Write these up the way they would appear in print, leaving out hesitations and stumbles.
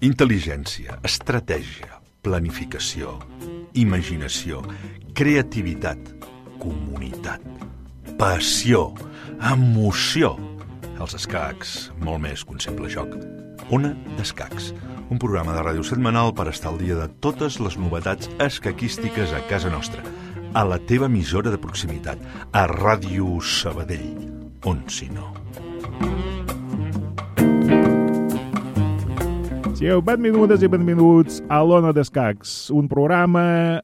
Intel·ligència, estratègia, planificació, imaginació, creativitat, comunitat, passió, emoció. Els escacs, molt més que un simple joc. Ona d'Escacs, un programa de ràdio setmanal per estar al dia de totes les novetats escaquístiques a casa nostra, a la teva emissora de proximitat, a Ràdio Sabadell, on si no. Sigueu benvingudes i benvinguts a l'Ona d'Escacs, un programa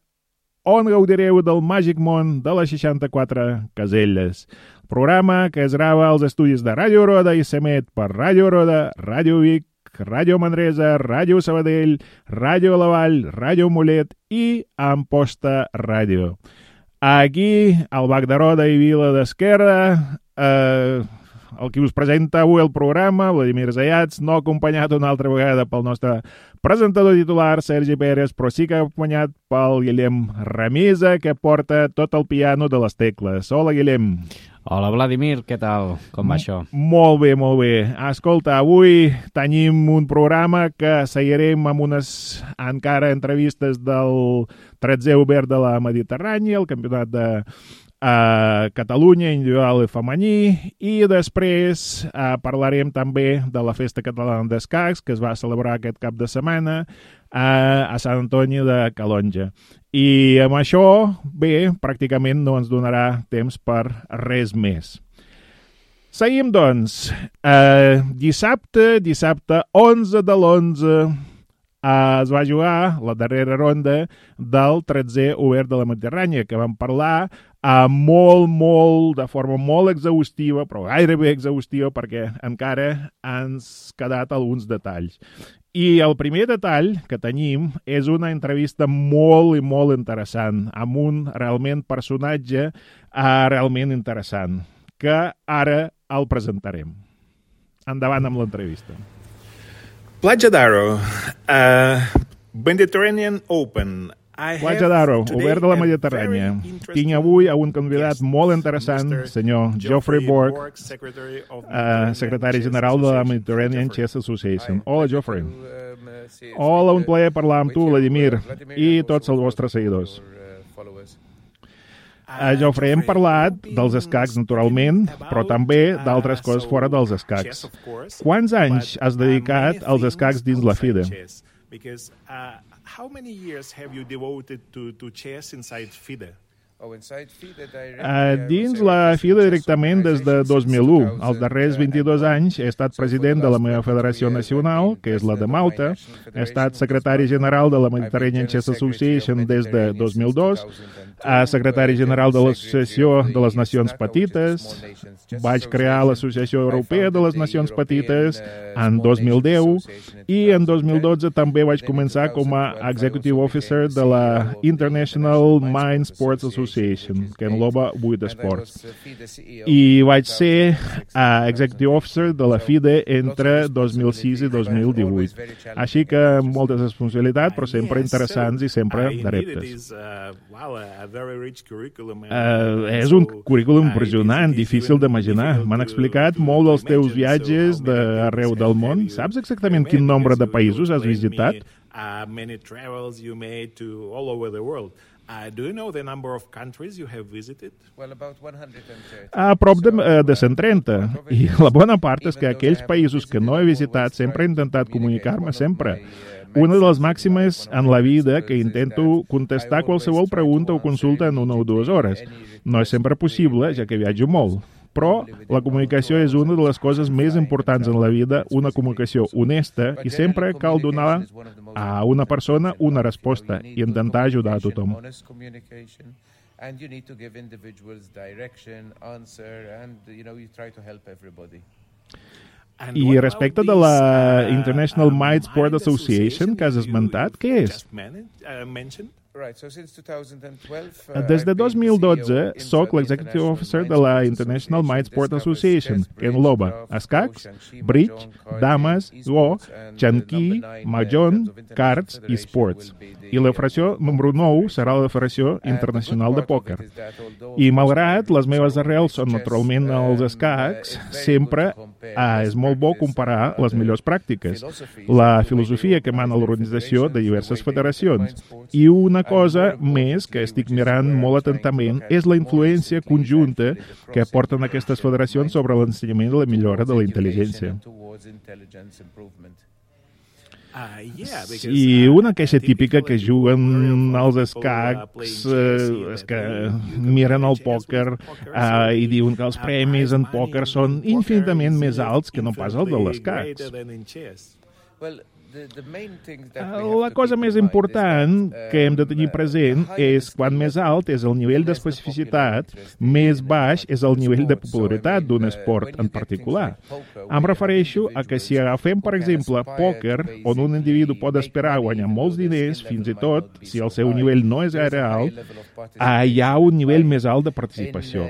on gaudireu del màgic món de les 64 caselles. Programa que es grava als estudis de Ràdio Roda i s'emet per Ràdio Roda, Ràdio Vic, Ràdio Manresa, Ràdio Sabadell, Ràdio La Vall, Ràdio Mollet i Amposta Ràdio. Aquí, al Bac de Roda i Vila d'Esquerra, el qui us presenta avui el programa, Vladimir Zayats, no acompanyat una altra vegada pel nostre presentador titular, Sergi Pérez, però sí que acompanyat pel Guillem Ramisa, que porta tot el piano de les tecles. Hola, Guillem. Hola, Vladimir, què tal? Com va això? Molt bé, molt bé. Escolta, avui tenim un programa que seguirem amb unes encara entrevistes del 13è Obert de la Mediterrània, el campionat de Catalunya, individual i femení, i després parlarem també de la Festa Catalana d'Escacs, que es va celebrar aquest cap de setmana a Sant Antoni de Calonja. I amb això, bé, pràcticament no ens donarà temps per res més. Seguim, doncs. Dissabte 11 de l'11, es va jugar la darrera ronda del 13è Obert de la Mediterrània, que vam parlar de forma molt exhaustiva, però gairebé exhaustiva, perquè encara ens quedat alguns detalls. I el primer detall que tenim és una entrevista molt i molt interessant, amb un realment personatge realment interessant, que ara el presentarem. Endavant amb l'entrevista. Platja d'Aro, Mediterranean Open. Platja d'Aro, Obert de la Mediterrània. Tinc avui un convidat molt interessant, senyor Geoffrey Borg, secretari general de la Mediterranean Chess Association. Hola, Geoffrey. Hola, un plaer parlar amb tu, Vladimir, i tots els vostres seguidors. Geoffrey, hem parlat dels escacs, naturalment, però també d'altres coses fora dels escacs. Quants anys has dedicat als escacs dins la FIDE? How many years have you devoted to chess inside FIDE? Dins la FIDE directament des de 2001. Els darrers 22 anys he estat president de la meva federació nacional, que és la de Malta. He estat secretari general de la Mediterranean Chess Association des de 2002, secretari general de l'Associació de les Nacions Petites. Vaig crear l'Associació Europea de les Nacions Petites en 2010 i en 2012 també vaig començar com a Executive Officer de la International Mind Sports Association, que engloba 8 esports. I vaig ser Executive Officer de la FIDE entre 2006 i 2018. Així que moltes responsabilitats, però sempre interessants i sempre de reptes. És un currículum impressionant, difícil d'imaginar. M'han explicat molt dels teus viatges d'arreu del món. Saps exactament quin nombre de països has visitat? Many travels you made to all over the world. Do you know the number of countries you have visited? Well, about 130. A prop de 130. I la bona part és que aquells països que no he visitat sempre he intentat comunicar-me sempre. Una de les màximes en la vida que intento contestar qualsevol pregunta o consulta en 1 o 2 hores. No és sempre possible, ja que viatjo molt. Però la comunicació és una de les coses més importants en la vida, una comunicació honesta, i sempre cal donar a una persona una resposta i intentar ajudar a tothom. And you need to give individuals direction, answer, and you try to help everybody. I respecte de la International Might Sport Association que has esmentat, què és? Des de 2012 soc l'Executive Officer de la International Might Sport Association, que engloba escacs, bridge, dames, go, xanquí, mahjong, cards i sports. I la federació número 9 serà la Federació Internacional de Pòquer. I malgrat les meves arrels són naturalment els escacs, sempre és molt bo comparar les millors pràctiques, la filosofia que mana l'organització de diverses federacions. I una cosa més que estic mirant molt atentament és la influència conjunta que aporten aquestes federacions sobre l'ensenyament i la millora de la intel·ligència. I una queixa típica que juguen els escacs és que miren el pòquer i diuen que els premis en pòquer són infinitament més alts que no pas els de l'escacs. La cosa més important que hem de tenir present és quan més alt és el nivell d'especificitat, més baix és el nivell de popularitat d'un esport en particular. Em refereixo a que si agafem, per exemple, pòquer, on un individu pot esperar guanyar molts diners, fins i tot si el seu nivell no és gaire alt, hi ha un nivell més alt de participació.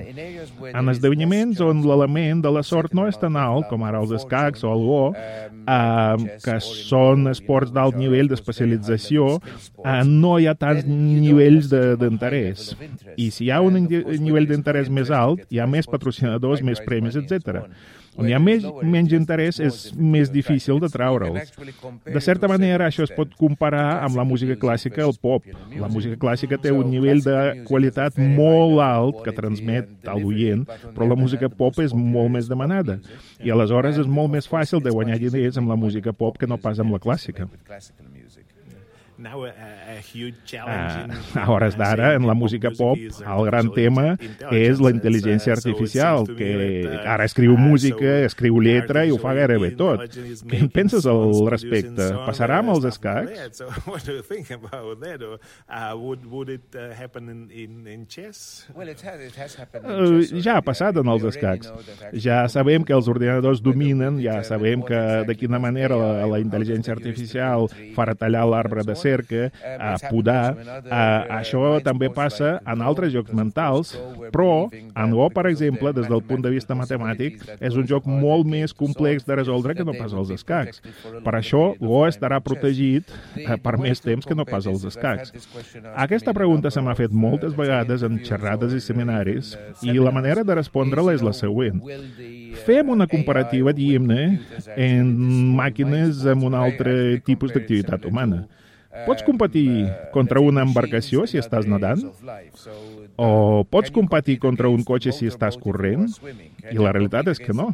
En esdeveniments on l'element de la sort no és tan alt, com ara els escacs o el go, que són esports d'alt nivell d'especialització, no hi ha tants nivells d'interès. I si hi ha un nivell d'interès més alt, hi ha més patrocinadors, més premis, etc. On hi ha menys interès és més difícil de traure'ls. De certa manera, això es pot comparar amb la música clàssica i el pop. La música clàssica té un nivell de qualitat molt alt que transmet a l'oient, però la música pop és molt més demanada. I aleshores és molt més fàcil de guanyar diners amb la música pop que no pas amb la clàssica. A hores d'ara, en la música pop, el gran tema és la intel·ligència artificial, que ara escriu música, escriu lletra i ho fa gairebé tot. Què en penses al respecte? Passarà amb els escacs? Ja ha passat en els escacs. Ja sabem que els ordinadors dominen, ja sabem que de quina manera la intel·ligència artificial farà tallar l'arbre de cerca, podar. Això també passa en altres jocs mentals, però en Go, per exemple, des del punt de vista matemàtic, és un joc molt més complex de resoldre que no pas els escacs. Per això, Go estarà protegit per més temps que no pas els escacs. Aquesta pregunta se m'ha fet moltes vegades en xerrades i seminaris, i la manera de respondre-la és la següent. Fem una comparativa, diguem-ne, en màquines amb un altre tipus d'activitat humana. Pots competir contra una embarcació si estàs nedant? O pots competir contra un cotxe si estàs corrent? I la realitat és que no.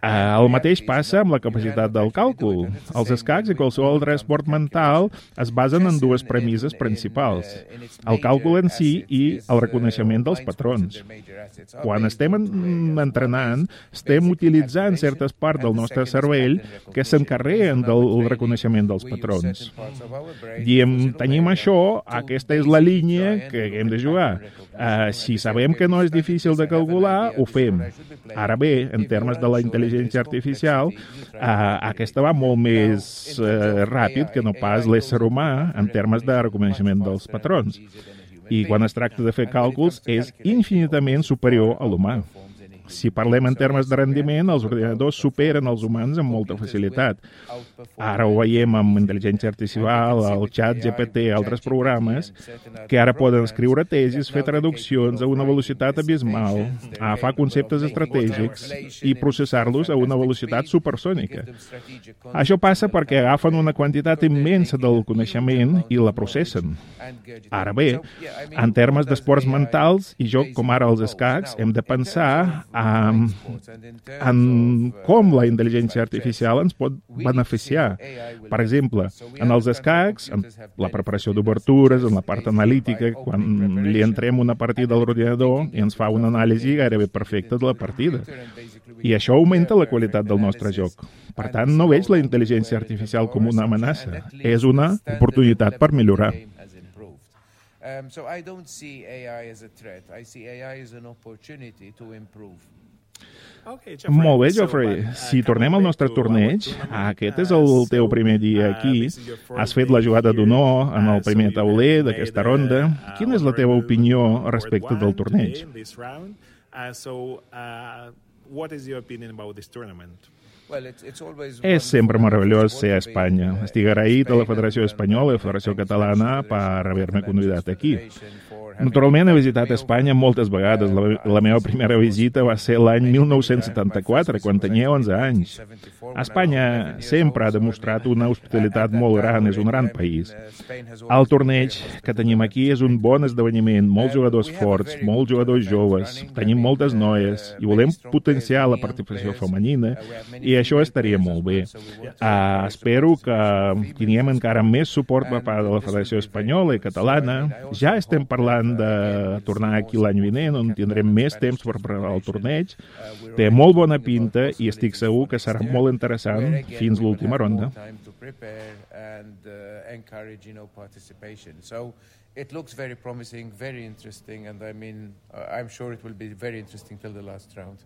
El mateix passa amb la capacitat del càlcul. Els escacs i qualsevol altre esport mental es basen en dues premisses principals: el càlcul en si i el reconeixement dels patrons. Quan estem entrenant, estem utilitzant certes parts del nostre cervell que s'encarreguen del reconeixement dels patrons. Diem, tenim això, aquesta és la línia que hem de jugar. Si sabem que no és difícil de calcular, ho fem. Ara bé, en termes de la intel·ligència artificial, aquesta va molt més ràpid que no pas l'ésser humà en termes de reconeixement dels patrons. I quan es tracta de fer càlculs, és infinitament superior a l'humà. Si parlem en termes de rendiment, els ordinadors superen els humans amb molta facilitat. Ara ho veiem amb intel·ligència artificial, el xat GPT i altres programes, que ara poden escriure tesis, fer traduccions a una velocitat abismal, agafar conceptes estratègics i processar-los a una velocitat supersònica. Això passa perquè agafen una quantitat immensa del coneixement i la processen. Ara bé, en termes d'esports mentals i joc com ara els escacs, hem de pensar en com la intel·ligència artificial ens pot beneficiar. Per exemple, en els escacs, en la preparació d'obertures, en la part analítica, quan li entrem una partida a l'ordinador i ens fa una anàlisi gairebé perfecta de la partida. I això augmenta la qualitat del nostre joc. Per tant, no veig la intel·ligència artificial com una amenaça. És una oportunitat per millorar. So I don't see AI as a threat. I see AI as an opportunity to improve. Molt bé, Geoffrey. Si tornem al nostre torneig, aquest és el teu primer dia aquí. Has fet la jugada d'honor en el primer tauler d'aquesta ronda. Quina és la teva opinió respecte del torneig? What is your opinion about this tournament? És sempre meravellós ser a Espanya. Estic agraït a la Federació Espanyola i a la Federació Catalana per haver-me convidat aquí. Naturalment he visitat Espanya moltes vegades. La meva primera visita va ser l'any 1974, quan tenia 11 anys. Espanya sempre ha demostrat una hospitalitat molt gran, és un gran país. El torneig que tenim aquí és un bon esdeveniment, molts jugadors forts, molts jugadors joves, tenim moltes noies i volem potenciar la participació femenina i això estaria molt bé. Espero que tinguem encara més suport per part de la Federació Espanyola i Catalana. Ja estem parlant de tornar aquí l'any vinent, on tindrem més temps per preparar el torneig. Té molt bona pinta i estic segur que serà molt interessant fins l'última ronda. It looks very promising, very interesting, and I'm sure it will be very interesting till the last round.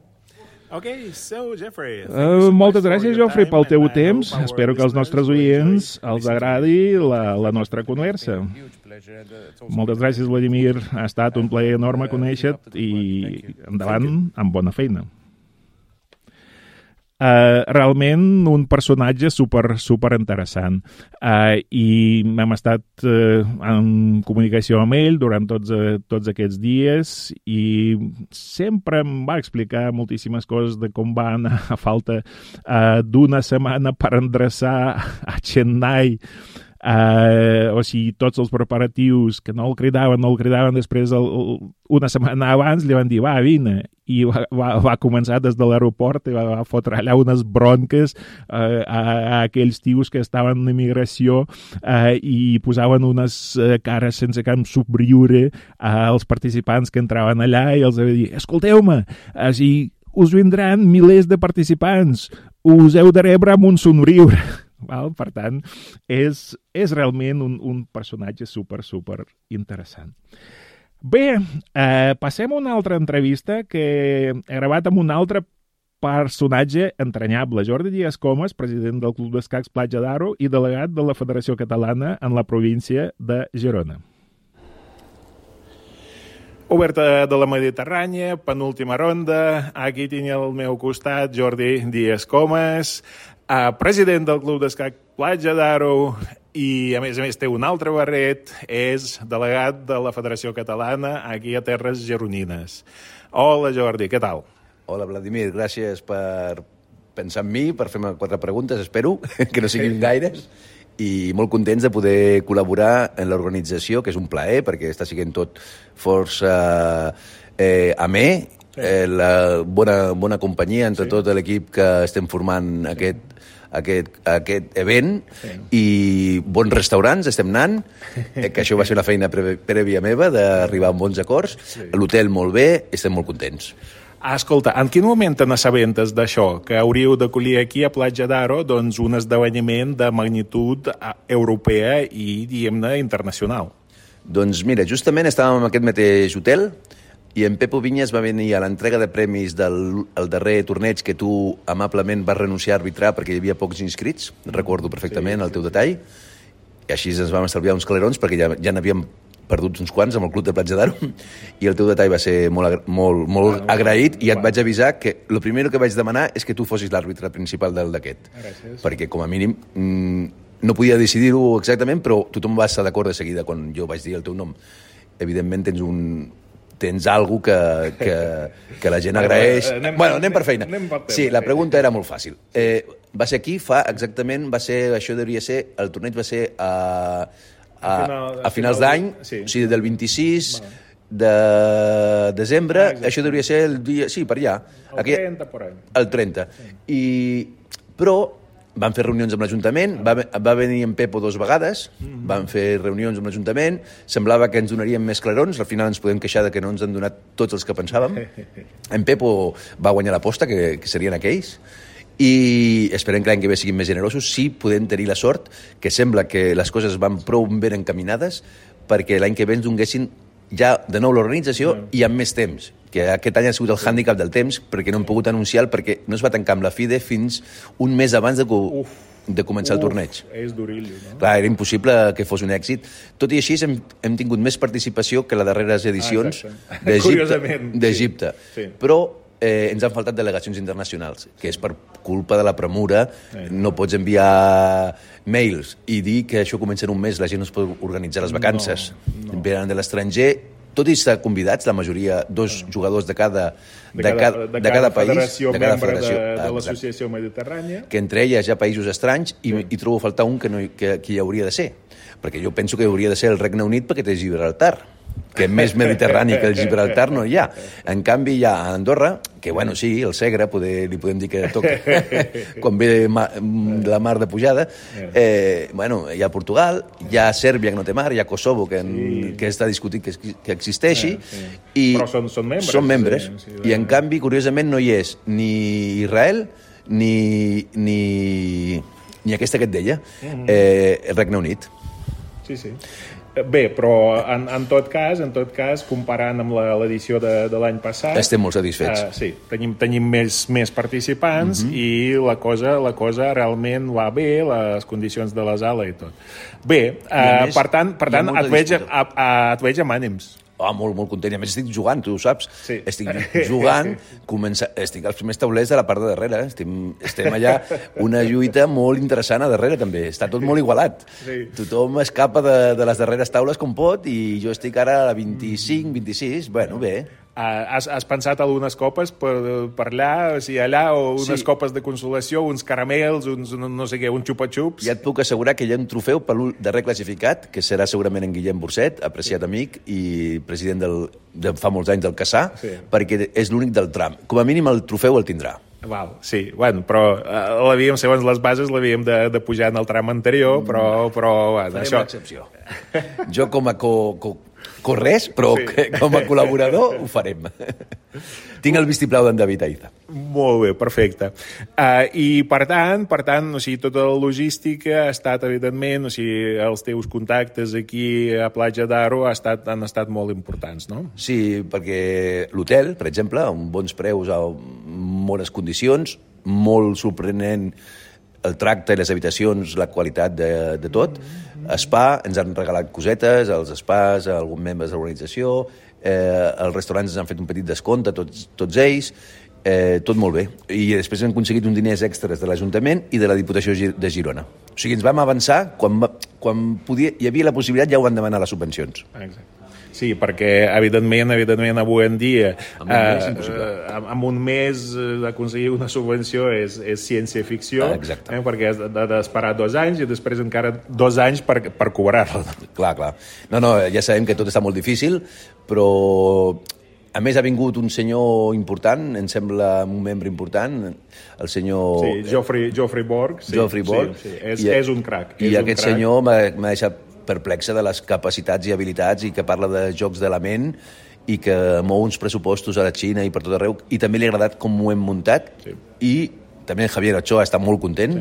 Okay, so Jeffrey, moltes gràcies, Geoffrey, pel teu temps. Espero que als nostres oients els agradi la nostra conversa. Moltes gràcies, Vladimir. Ha estat un plaer enorme conèixer-te i endavant amb bona feina. Realment un personatge super interessant i hem estat en comunicació amb ell durant tots aquests dies i sempre em va explicar moltíssimes coses de com va anar a falta d'una setmana per endreçar a Chennai. O sigui, tots els preparatius que no el cridaven després una setmana abans li van dir, va, vine, i va començar des de l'aeroport i va fotre allà unes bronques a aquells tios que estaven en immigració i posaven unes cares sense cap somriure als participants que entraven allà i els va dir, escolteu-me, us vindran milers de participants, us heu de rebre amb un somriure. Per tant, és realment un personatge super interessant. Bé, passem a una altra entrevista que he gravat amb un altre personatge entranyable, Jordi Díaz Comas, president del Club d'Escacs Platja d'Aro i delegat de la Federació Catalana en la província de Girona. Oberta de la Mediterrània, penúltima ronda. Aquí tinc al meu costat Jordi Díaz Comas, president del Club d'Escac Platja d'Aro i, a més, té un altre barret, és delegat de la Federació Catalana aquí a Terres Gironines. Hola, Jordi, què tal? Hola, Vladimir, gràcies per pensar en mi, per fer-me 4 preguntes, espero, que no siguin gaires, i molt contents de poder col·laborar en l'organització, que és un plaer, perquè està sent tot força amè, la bona companyia entre tot l'equip que estem formant aquest event i bons restaurants estem anant, que això va ser una feina prèvia meva d'arribar a bons acords, l'hotel molt bé, estem molt contents. Escolta, en quin moment te n'assabentes d'això, que hauríeu d'acollir aquí a Platja d'Aro doncs, un esdeveniment de magnitud europea i, diguem-ne, internacional? Doncs mira, justament estàvem en aquest mateix hotel i en Pepo Vinyes va venir a l'entrega de premis del darrer torneig que tu amablement vas renunciar a arbitrar perquè hi havia pocs inscrits, recordo perfectament el teu detall, i així ens vam estalviar uns calerons perquè ja n'havíem perdut uns quants amb el Club de Platja d'Aro i el teu detall va ser molt agraït i et vaig avisar que el primer que vaig demanar és que tu fossis l'àrbitre principal d'aquest, perquè com a mínim no podia decidir-ho exactament, però tothom va estar d'acord de seguida quan jo vaig dir el teu nom. Evidentment tens alguna que la gent agraeix. Bueno, anem per feina. Sí, la pregunta era molt fàcil. Va ser aquí, això devia ser, el torneig va ser a finals d'any, o sigui, del 26 de desembre, això devia ser el dia... Sí, per allà. El 30. Però van fer reunions amb l'Ajuntament, va venir en Pepo 2 vegades, van fer reunions amb l'Ajuntament, semblava que ens donarien més clarons, al final ens podem queixar de que no ens han donat tots els que pensàvem. En Pepo va guanyar l'aposta, que serien aquells, i esperem que l'any que ve siguin més generosos. Sí, podem tenir la sort, que sembla que les coses van prou ben encaminades perquè l'any que ve ens donguessin ja de nou l'organització i amb més temps, que aquest any ha sigut el hàndicap del temps perquè no hem pogut anunciar perquè no es va tancar amb la FIDE fins un mes abans de començar el torneig. És durillo, no? Clar, era impossible que fos un èxit. Tot i així hem tingut més participació que les darreres edicions d'Egipte. Però ens han faltat delegacions internacionals, que és per culpa de la premura. No pots enviar mails i dir que això comença en un mes, la gent no es pot organitzar les vacances. Venen de l'estranger, tot i estar convidats, la majoria, 2 jugadors de cada país, federació, de cada membre federació, de l'Associació Mediterrània. que entre elles hi ha països estranys i trobo a faltar un que hi hauria de ser, perquè jo penso que hauria de ser el Regne Unit perquè té Gibraltar, que més mediterrani que el Gibraltar no hi ha. En canvi hi ha a Andorra, que bueno, sí, el Segre, li podem dir que toca quan ve la mar de pujada. Bueno, hi ha Portugal, hi ha Sèrbia que no té mar, hi ha Kosovo que està discutit que existeixi. Però són membres. Són membres. I en canvi, curiosament, no hi és ni Israel ni aquesta que et deia, el Regne Unit. Sí. Bé, però en tot cas, comparant amb l'edició de l'any passat... Estem molt satisfets. Sí, tenim més participants i la cosa realment va bé, les condicions de la sala i tot. Bé, per tant et veig amb ànims. Molt content. I a més estic jugant, tu ho saps. Sí. Estic jugant, estic als primers taulers de la part de darrere. Estem allà, una lluita molt interessant a darrere també. Està tot molt igualat. Sí. Tothom escapa de les darreres taules com pot i jo estic ara a la 25, 26. Bueno, bé. Has pensat algunes copes per allà, o unes copes de consolació, uns caramels, no sé què, uns xupa-xups? Ja et puc assegurar que hi ha un trofeu per darrer classificat, que serà segurament en Guillem Burcet, apreciat amic i president de fa molts anys del Caçà, perquè és l'únic del tram. Com a mínim el trofeu el tindrà. Val, sí, bueno, però segons les bases l'havíem de pujar en el tram anterior, però bueno, farem l'excepció. Jo com a res, però com a col·laborador ho farem. Tinc el vistiplau d'en David Aiza. Molt bé, perfecte. I per tant, tota la logística ha estat, evidentment, els teus contactes aquí a Platja d'Aro han estat molt importants, no? Sí, perquè l'hotel, per exemple, amb bons preus, a bones condicions, molt sorprenent el tracte i les habitacions, la qualitat de tot. Spa, ens han regalat cosetes, els spas, alguns membres de l'organització, els restaurants ens han fet un petit descompte, tots ells, tot molt bé. I després hem aconseguit uns diners extras de l'Ajuntament i de la Diputació de Girona. O sigui, ens vam avançar, quan hi havia la possibilitat ja ho van demanar les subvencions. Exacte. Sí, perquè, evidentment, avui en dia, amb un mes d'aconseguir una subvenció és ciència-ficció, perquè has d'esperar 2 anys i després encara 2 anys per cobrar-la. Clar. No, ja sabem que tot està molt difícil, però a més ha vingut un senyor important, em sembla un membre important, el senyor... Sí, Geoffrey Borg. Geoffrey Borg. Sí. És un crac. I aquest senyor m'ha deixat perplexa de les capacitats i habilitats i que parla de jocs de la ment i que mou uns pressupostos a la Xina i per tot arreu, i també li ha agradat com ho hem muntat. I també Javier Ochoa està molt content,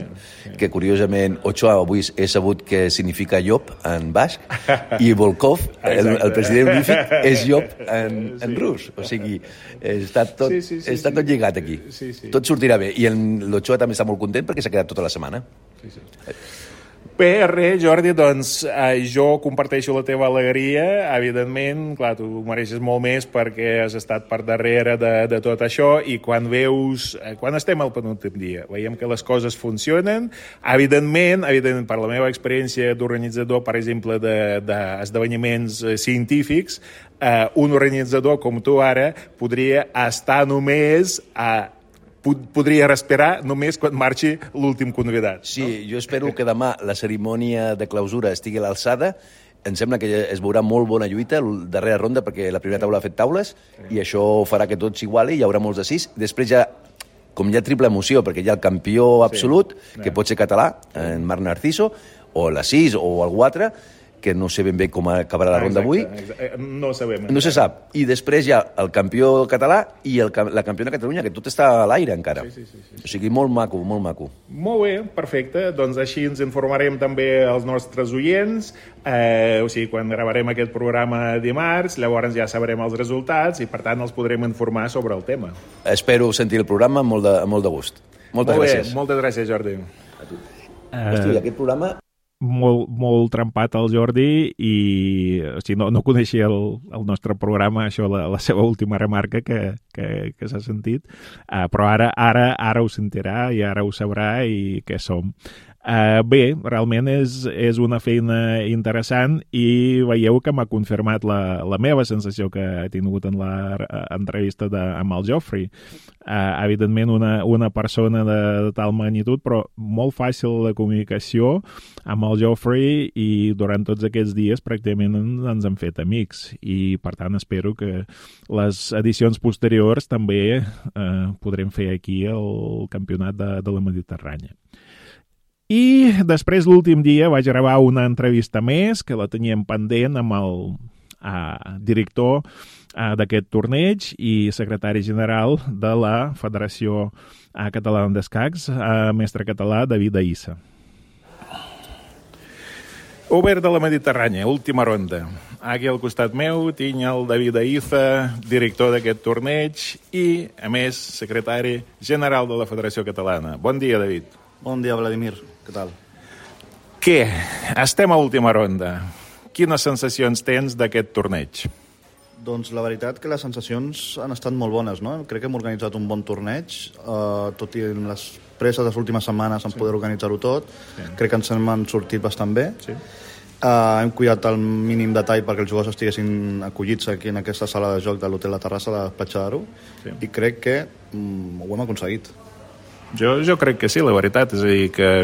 que curiosament Ochoa avui he sabut que significa llop en basc, i Volkov, el president honorífic, és llop en rus. O sigui, està tot lligat aquí. Tot sortirà bé. I l'Ochoa també està molt content perquè s'ha quedat tota la setmana. Bé, res, Jordi, doncs jo comparteixo la teva alegria. Evidentment, clar, tu mereixes molt més perquè has estat per darrere de tot això, i quan estem al penúltim dia, veiem que les coses funcionen. Evidentment, per la meva experiència d'organitzador, per exemple, d'esdeveniments científics, un organitzador com tu ara podria estar només podria respirar només quan marxi l'últim convidat. Sí, jo espero que demà la cerimònia de clausura estigui a l'alçada. Em sembla que es veurà molt bona lluita la darrera ronda, perquè la primera taula ha fet taules i això farà que tot s'iguali, hi haurà molts de 6. Després com hi ha triple emoció, perquè hi ha el campió absolut, que pot ser català, en Marc Narciso, o la 6 o el 4, que no sé ben bé com acabarà la ronda avui. No sabem. No se sap. I després hi ha el campió català i la campiona de Catalunya, que tot està a l'aire encara. Sí. O sigui, molt maco, molt maco. Molt bé, perfecte. Doncs així ens informarem també als nostres oients. O sigui, quan gravarem aquest programa dimarts, llavors ja sabrem els resultats i, per tant, els podrem informar sobre el tema. Espero sentir el programa amb molt de gust. Moltes gràcies. Moltes gràcies, Jordi. A tu. Hosti, aquest programa... molt trempat el Jordi i o sigui, no coneixia el nostre programa, això, la seva última remarca que s'ha sentit, però ara ho sentirà i ara ho sabrà i què som. Bé, realment és una feina interessant i veieu que m'ha confirmat la meva sensació que he tingut en l'entrevista amb el Geoffrey. Evidentment, una persona de tal magnitud, però molt fàcil de comunicació amb el Geoffrey i durant tots aquests dies pràcticament ens hem fet amics i, per tant, espero que les edicions posteriors també podrem fer aquí el campionat de la Mediterrània. I després, l'últim dia, vaig gravar una entrevista més, que la teníem pendent amb el director d'aquest torneig i secretari general de la Federació Catalana d'Escacs, mestre català David Aïssa. Obert de la Mediterrània, última ronda. Aquí al costat meu tinc el David Aïssa, director d'aquest torneig i, a més, secretari general de la Federació Catalana. Bon dia, David. Bon dia, Vladimir. Què tal? Què? Estem a última ronda. Quines sensacions tens d'aquest torneig? Doncs la veritat que les sensacions han estat molt bones, no? Crec que hem organitzat un bon torneig, tot i les presses de les últimes setmanes en poder organitzar-ho tot. Sí. Crec que ens hem sortit bastant bé. Sí. Hem cuidat el mínim detall perquè els jugadors estiguessin acollits aquí en aquesta sala de joc de l'Hotel La Terrassa de Platja d'Aro, sí. I crec que ho hem aconseguit. Jo crec que sí, la veritat. És a dir, que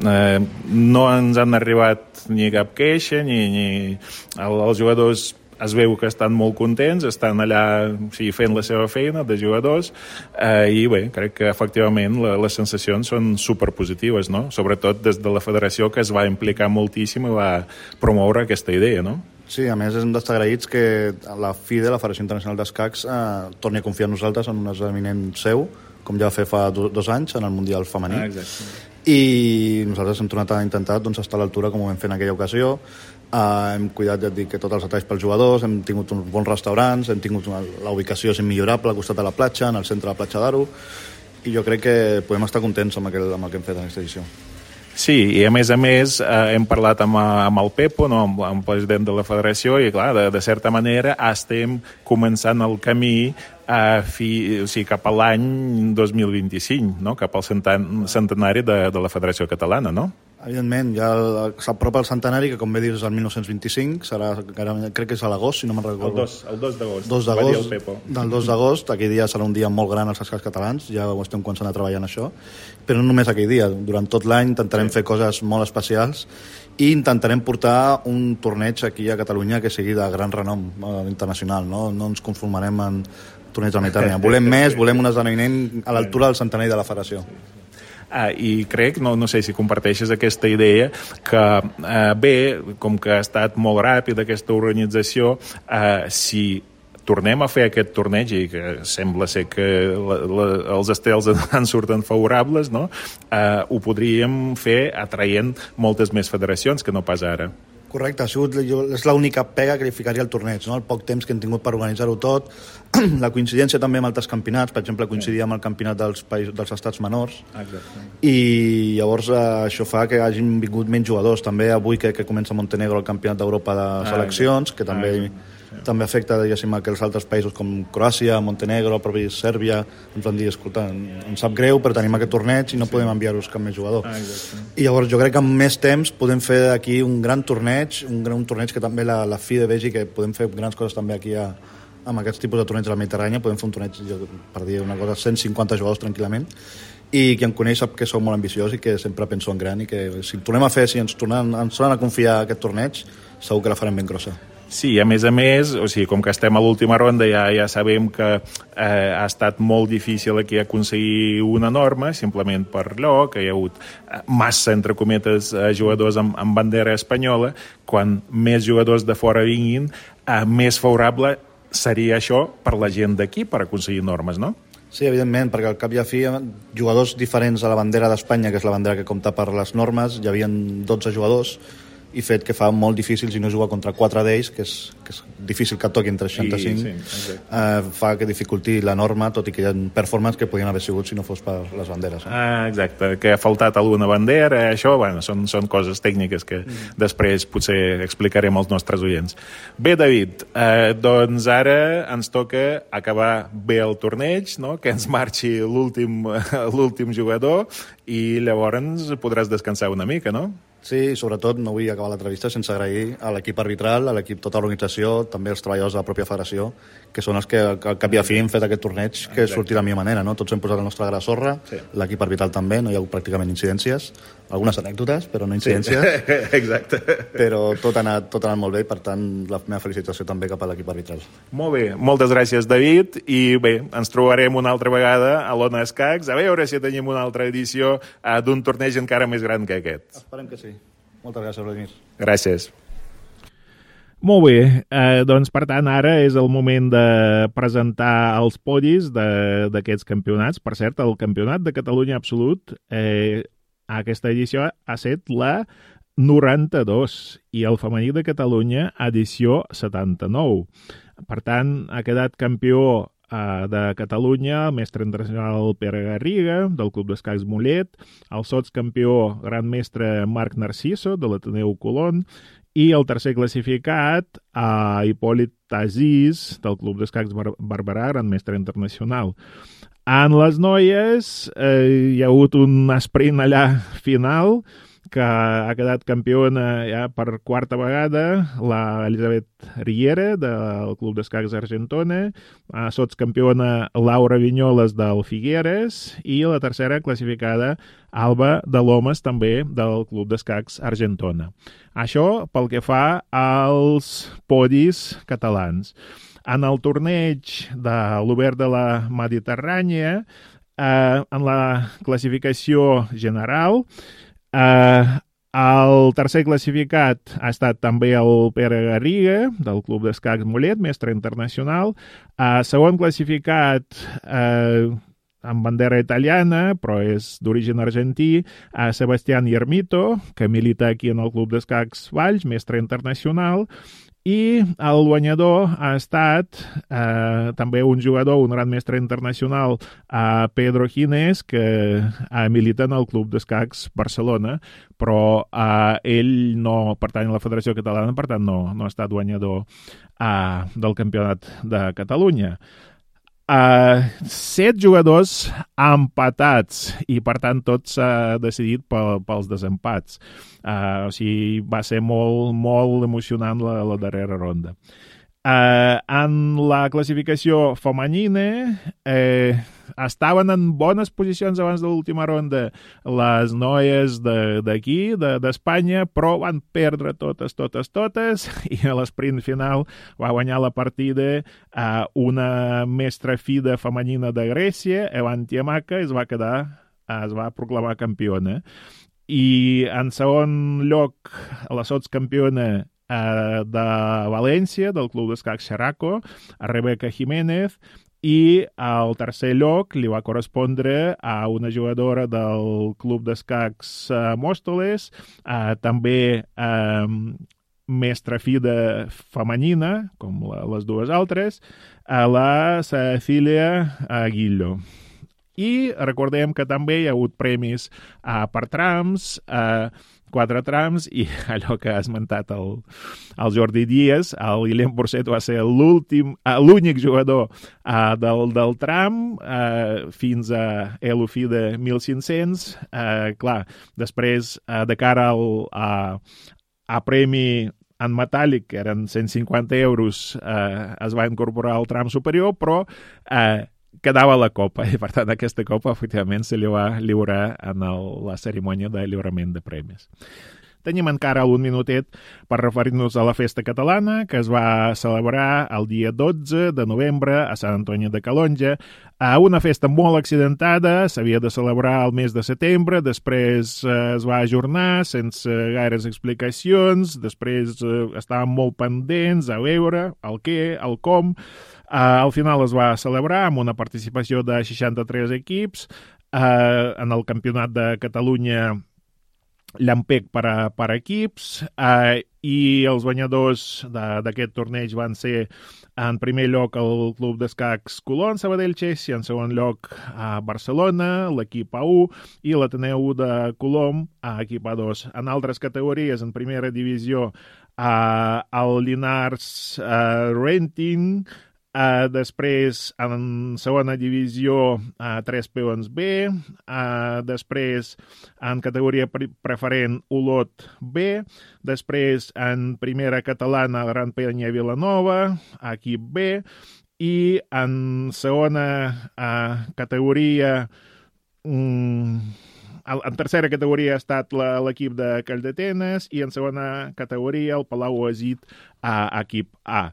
no ens han arribat ni cap queixa, ni els jugadors es veu que estan molt contents, estan allà fent la seva feina de jugadors, i bé, crec que efectivament les sensacions són superpositives, no? Sobretot des de la federació, que es va implicar moltíssim i va promoure aquesta idea, no? Sí, a més hem d'estar agraïts que la FIDE, la Federació Internacional d'Escacs, torni a confiar en nosaltres en un esdeveniment seu, com ja va fer fa 2 anys en el Mundial Femení. I nosaltres hem tornat a intentar estar a l'altura com ho vam fer en aquella ocasió. Hem cuidat, ja et dic, tots els detalls pels jugadors, hem tingut uns bons restaurants, hem tingut la ubicació immillorable al costat de la platja, en el centre de la platja d'Aro, i jo crec que podem estar contents amb el que hem fet en aquesta edició. Sí, i a més hem parlat amb el Pepo, no? amb el president de la federació, i clar, de certa manera estem començant el camí cap a l'any 2025, no? Cap al centenari de la Federació Catalana, no? Evidentment, ja s'apropa el centenari, que com bé dius és el 1925, serà, crec que és a l'agost, si no me'n recordo. El 2 d'agost, 2 va dir el Pepo. Del 2 d'agost, aquell dia serà un dia molt gran als escacs catalans, ja ho estem començant a treballar en això, però no només aquell dia, durant tot l'any intentarem fer coses molt especials i intentarem portar un torneig aquí a Catalunya que sigui de gran renom internacional, no ens conformarem en torneig de la Mediterrània. Volem més, volem un esdeveniment a l'altura del centenari de la federació. I crec, no sé si comparteixes aquesta idea, que bé, com que ha estat molt ràpid aquesta organització, si tornem a fer aquest torneig, i que sembla ser que els estels en surten favorables, no? Ho podríem fer atraient moltes més federacions que no pas ara. Correcte, és l'única pega que li ficaria al torneig, no? El poc temps que hem tingut per organitzar-ho tot, la coincidència també amb altres campionats, per exemple, coincidia amb el campionat dels estats menors. Exacte. I llavors això fa que hagin vingut menys jugadors. També avui que comença Montenegro el campionat d'Europa de seleccions, que també afecta, diguéssim, que els altres països com Croàcia, Montenegro, el propi Sèrbia, ens van dir, escolta, ens sap greu, però tenim aquest torneig i no podem enviar-vos cap més jugador. I llavors jo crec que amb més temps podem fer aquí un gran torneig, un torneig que també la FIDE vegi que podem fer grans coses també aquí amb aquests tipus de torneigs de la Mediterrània. Podem fer un torneig, per dir una cosa, 150 jugadors tranquil·lament, i qui em coneix sap que som molt ambiciós i que sempre penso en gran, i que si tornem a fer, si ens tornen a confiar aquest torneig, segur que la farem ben grossa. Sí, a més, o sigui, com que estem a l'última ronda, ja sabem que ha estat molt difícil aquí aconseguir una norma, simplement per allò, que hi ha hagut massa, entre cometes, jugadors amb bandera espanyola. Quan més jugadors de fora vinguin, més favorable seria això per la gent d'aquí, per aconseguir normes, no? Sí, evidentment, perquè al cap i a fi jugadors diferents a la bandera d'Espanya, que és la bandera que compta per les normes, hi havia 12 jugadors, i fet que fa molt difícil, si no juga contra 4 d'ells, que és difícil que et toquin 365, fa que dificulti la norma, tot i que hi ha performances que podien haver sigut si no fos per les banderes. Exacte, que ha faltat alguna bandera, això, bueno, són coses tècniques que després potser explicarem als nostres oients. Bé, David, doncs ara ens toca acabar bé el torneig, no? Que ens marxi l'últim jugador i llavors podràs descansar una mica, no? Sí, sobretot no vull acabar l'entrevista sense agrair a l'equip arbitral, a l'equip, tota l'organització, també els treballadors de la pròpia federació, que són els que al cap i a fi han fet aquest torneig que surti de la millor manera, no? Tots hem posat la nostra gra sorra, l'equip arbitral també, no hi ha hagut pràcticament incidències, algunes anècdotes, però no incidències. Exacte. Però tot ha anat molt bé, per tant, la meva felicitació també cap a l'equip arbitral. Molt bé, moltes gràcies, David, i bé, ens trobarem una altra vegada a l'Ona Escacs, a veure si tenim una altra edició d'un torneig encara més gran que aquest. Esperem que sí. Moltes gràcies, Vladimir. Gràcies. Molt bé, doncs per tant ara és el moment de presentar els podis d'aquests campionats. Per cert, el Campionat de Catalunya Absolut, aquesta edició ha estat la 92 i el femení de Catalunya edició 79. Per tant, ha quedat campió de Catalunya, el mestre internacional Pere Garriga, del Club d'Escacs Mollet, el sotscampió gran mestre Marc Narciso, de l'Ateneu Colón, i el tercer classificat, Hipòlit Aziz, del Club d'Escacs Barberà, gran mestre internacional. En les noies hi ha hagut un sprint allà final, que ha quedat campiona ja per quarta vegada, la Elisabet Riera, del Club d'Escacs Argentona, sotscampiona Laura Vinyoles del Figueres, i la tercera classificada Alba de Lomas, també del Club d'Escacs Argentona. Això pel que fa als podis catalans. En el torneig de l'Obert de la Mediterrània, en la classificació general, el tercer classificat ha estat també el Pere Garriga, del Club d'Escacs Mollet, mestre internacional. Segon classificat, amb bandera italiana, però és d'origen argentí, Sebastián Yermito, que milita aquí en el Club d'Escacs Valls, mestre internacional. I el guanyador ha estat també un jugador, un gran mestre internacional, Pedro Ginés, que milita en el Club d'Escacs Barcelona, però ell no pertany a la Federació Catalana, per tant no ha estat guanyador del Campionat de Catalunya. 7 jugadors empatats i per tant tot s'ha decidit pels desempats. O sigui, va ser molt emocionant la darrera ronda. En la classificació femenina estaven en bones posicions abans de l'última ronda les noies d'aquí, d'Espanya, però van perdre totes, i a l'esprint final va guanyar la partida una mestra fida femenina de Grècia, Evantia Maca, es va proclamar campiona. I en segon lloc, la sotscampiona de València, del Club d'Escacs Xeraco, a Rebeca Jiménez, i al tercer lloc li va correspondre a una jugadora del Club d'Escacs Mòstoles, també mestra fida femenina, com les dues altres, la Cecília Aguillo. I recordem que també hi ha hagut premis per trams, 4 trams, i allò que ha esmentat el Jordi Díaz, el Guillem Borset va ser l'únic jugador del tram fins a l'ofí de 1.500. Clar, després, de cara a premi en metàl·lic, que eren 150 euros, es va incorporar el tram superior, però quedava la copa, i per tant aquesta copa efectivament se li va lliurar en la cerimònia de lliurament de premis. Tenim encara un minutet per referir-nos a la festa catalana, que es va celebrar el dia 12 de novembre a Sant Antoni de Calonge. Una festa molt accidentada, s'havia de celebrar el mes de setembre, després es va ajornar sense gaires explicacions, després estàvem molt pendents a veure el què, el com. Al final es va celebrar amb una participació de 63 equips. En el Campionat de Catalunya Llampec per equips, i els guanyadors d'aquest torneig van ser en primer lloc el Club d'Escacs Colón Sabadell Chess i en segon lloc a Barcelona, l'equip A1 i l'Ateneu de Colom, equip A2. En altres categories, en primera divisió, el Llinars Renting, després en segona divisió 3 peons B, després en categoria preferent Olot B, després en primera catalana Gran Penya Vilanova, equip B, i en segona categoria en tercera categoria ha estat l'equip de Calldetenes i en segona categoria el Palau Oasit, equip A.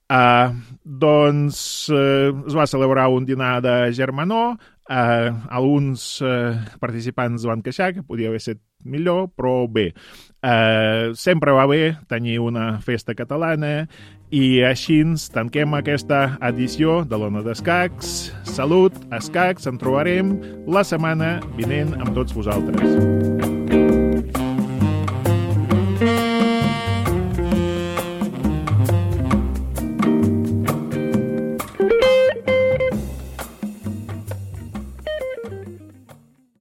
Doncs es va celebrar un dinar de germanor, alguns participants van queixar que podia haver estat millor, però bé, sempre va bé tenir una festa catalana i així tanquem aquesta edició de l'Ona d'Escacs. Salut, escacs, ens trobarem la setmana vinent amb tots vosaltres.